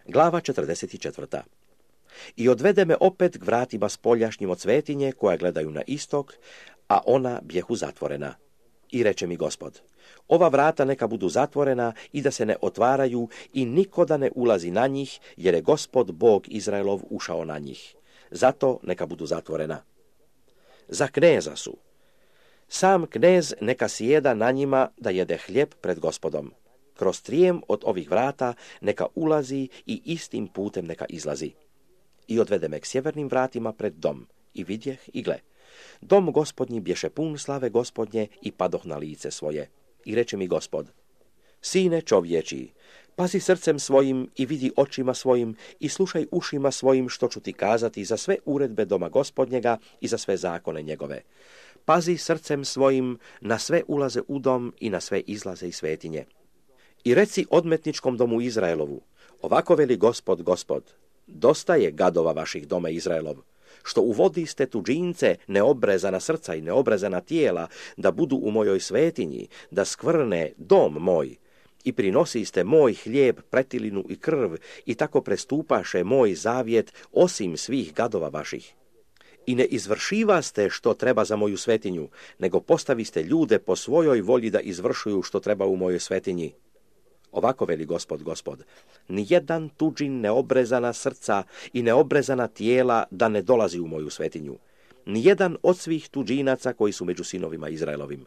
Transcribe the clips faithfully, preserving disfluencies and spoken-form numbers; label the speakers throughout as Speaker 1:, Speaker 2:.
Speaker 1: Glava četrdeset četiri. I odvede me opet k vratima spoljašnjim od svetinje, koja gledaju na istok, a ona bjehu zatvorena. I reče mi Gospod, ova vrata neka budu zatvorena i da se ne otvaraju i niko da ne ulazi na njih, jer je Gospod Bog Izraelov ušao na njih. Zato neka budu zatvorena. Za kneza su. Sam knez neka sjeda na njima da jede hljeb pred Gospodom. Kroz trijem od ovih vrata neka ulazi i istim putem neka izlazi. I odvede me k sjevernim vratima pred dom. I vidjeh i gle. Dom Gospodnji bješe pun slave Gospodnje i padoh na lice svoje. I reče mi Gospod, sine čovječiji, pazi srcem svojim i vidi očima svojim i slušaj ušima svojim što ću ti kazati za sve uredbe doma Gospodnjega i za sve zakone njegove. Pazi srcem svojim na sve ulaze u dom i na sve izlaze iz svetinje. I reci odmetničkom domu Izraelovu, ovako veli Gospod, Gospod, dosta je gadova vaših doma Izraelov, što uvodiste tuđince, neobrezana srca i neobrezana tijela, da budu u mojoj svetinji, da skvrne dom moj, i prinosiste moj hljeb, pretilinu i krv, i tako prestupaše moj zavjet osim svih gadova vaših. I ne izvršivaste što treba za moju svetinju, nego postaviste ljude po svojoj volji da izvršuju što treba u mojoj svetinji. Ovako veli Gospod, Gospod, nijedan tuđin neobrezana srca i neobrezana tijela da ne dolazi u moju svetinju. Nijedan od svih tuđinaca koji su među sinovima Izraelovim.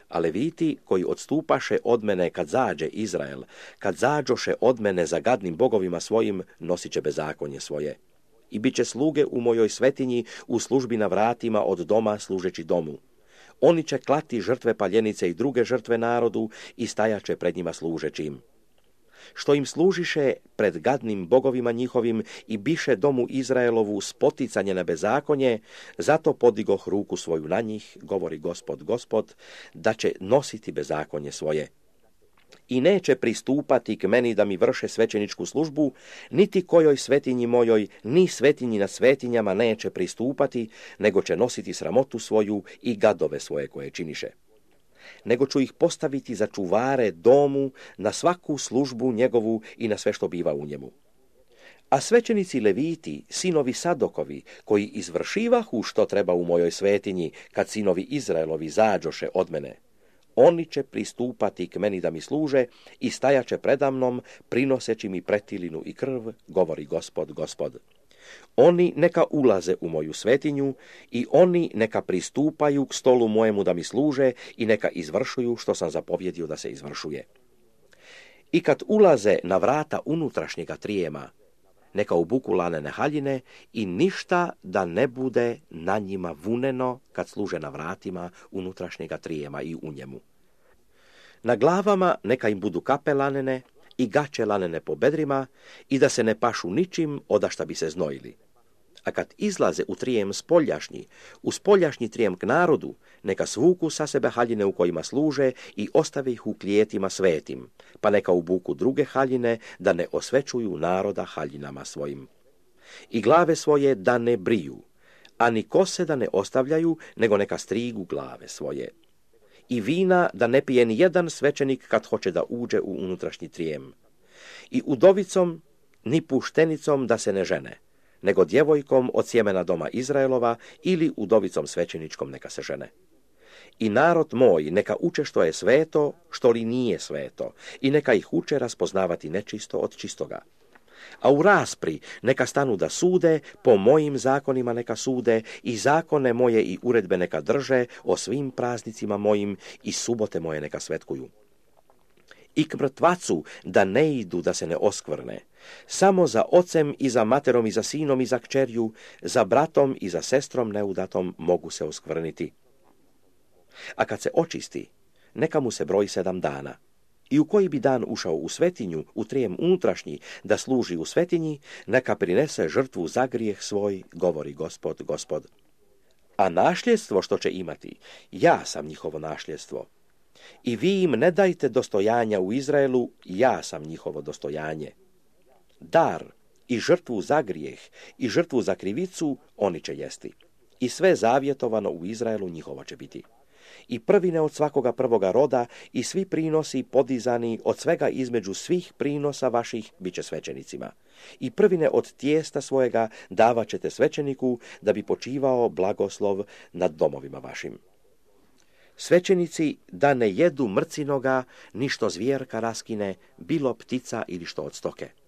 Speaker 1: A Leviti koji odstupaše od mene kad zađe Izrael, kad zađoše od mene za gadnim bogovima svojim, nosit će bezakonje svoje. I bit će sluge u mojoj svetinji u službi na vratima od doma služeći domu. Oni će klati žrtve paljenice i druge žrtve narodu i stajaće pred njima služeći im. Što im služiše pred gadnim bogovima njihovim i biše domu Izraelovu spoticanje na bezakonje, zato podigoh ruku svoju na njih, govori Gospod, Gospod, da će nositi bezakonje svoje. I neće pristupati k meni da mi vrše svećeničku službu, niti kojoj svetinji mojoj, ni svetinji na svetinjama neće pristupati, nego će nositi sramotu svoju i gadove svoje koje činiše. Nego ću ih postaviti za čuvare domu, na svaku službu njegovu i na sve što biva u njemu. A svećenici Leviti, sinovi Sadokovi, koji izvršivahu što treba u mojoj svetinji, kad sinovi Izraelovi zađoše od mene, oni će pristupati k meni da mi služe i stajaće predamnom, prinoseći mi pretilinu i krv, govori Gospod, Gospod. Oni neka ulaze u moju svetinju i oni neka pristupaju k stolu mojemu da mi služe i neka izvršuju što sam zapovjedio da se izvršuje. I kad ulaze na vrata unutrašnjega trijema, neka obuku lanene haljine i ništa da ne bude na njima vuneno kad služe na vratima unutrašnjega trijema i u njemu. Na glavama neka im budu kape lanene i gaće lanene po bedrima i da se ne pašu ničim odašta bi se znojili. A kad izlaze u trijem spoljašnji, u spoljašnji trijem k narodu, neka svuku sa sebe haljine u kojima služe i ostave ih u klijetima svetim, pa neka obuku druge haljine da ne osvećuju naroda haljinama svojim. I glave svoje da ne briju, a ni kose da ne ostavljaju, nego neka strigu glave svoje. I vina da ne pije ni jedan svećenik kad hoće da uđe u unutrašnji trijem. I udovicom ni puštenicom da se ne žene, nego djevojkom od sjemena doma Izraelova ili udovicom svećeničkom neka se žene. I narod moj neka uče što je sveto, što li nije sveto, i neka ih uče raspoznavati nečisto od čistoga. A u raspri neka stanu da sude, po mojim zakonima neka sude, i zakone moje i uredbe neka drže, o svim praznicima mojim i subote moje neka svetkuju. I k mrtvacu da ne idu da se ne oskvrne, samo za ocem i za materom i za sinom i za kćerju, za bratom i za sestrom neudatom mogu se oskvrniti. A kad se očisti, neka mu se broji sedam dana. I u koji bi dan ušao u svetinju, u trijem unutrašnji, da služi u svetinji, neka prinese žrtvu za grijeh svoj, govori Gospod, Gospod. A našljedstvo što će imati, ja sam njihovo našljedstvo. I vi im ne dajte dostojanja u Izraelu, ja sam njihovo dostojanje. Dar i žrtvu za grijeh i žrtvu za krivicu oni će jesti. I sve zavjetovano u Izraelu njihovo će biti. I prvine od svakoga prvoga roda i svi prinosi podizani od svega između svih prinosa vaših bit će svećenicima. I prvine od tijesta svojega davat ćete svećeniku da bi počivao blagoslov nad domovima vašim. Svećenici da ne jedu mrcinoga, ni što zvijerka raskine, bilo ptica ili što od stoke.